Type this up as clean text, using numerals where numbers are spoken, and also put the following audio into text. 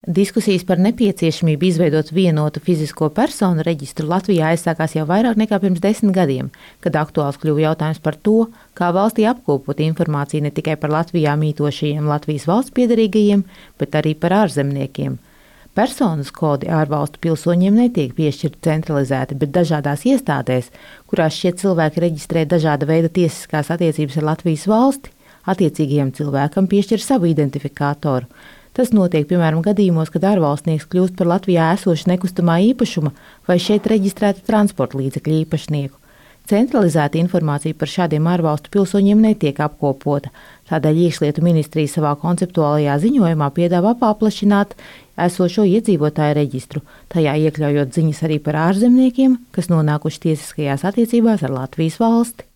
Diskusijas par nepieciešamību izveidot vienotu fizisko personu reģistru Latvijā aizsākās jau vairāk nekā pirms 10 gadiem, kad aktuāls kļuva jautājums par to, kā valstī apkopot informāciju ne tikai par Latvijā mītošajiem Latvijas valsts piederīgajiem, bet arī par ārzemniekiem. Personas kodi ārvalstu pilsoņiem netiek piešķirti centralizēti, bet dažādās iestādēs, kurās šie cilvēki reģistrē dažāda veida tiesiskās attiecības ar Latvijas valsti, attiecīgajam cilvēkam piešķir savu identifikātoru. Tas notiek, piemēram, gadījumos, kad ārvalstnieks kļūst par Latvijā esošu nekustamā īpašuma vai šeit reģistrēta transporta līdzekļu īpašnieku. Centralizēta informācija par šādiem ārvalstu pilsoņiem netiek apkopota, tādēļ Iekšlietu ministrija savā konceptuālajā ziņojumā piedāvā paplašināt esošo iedzīvotāju reģistru, tajā iekļaujot ziņas arī par ārzemniekiem, kas nonākuši tiesiskajās attiecībās ar Latvijas valsti.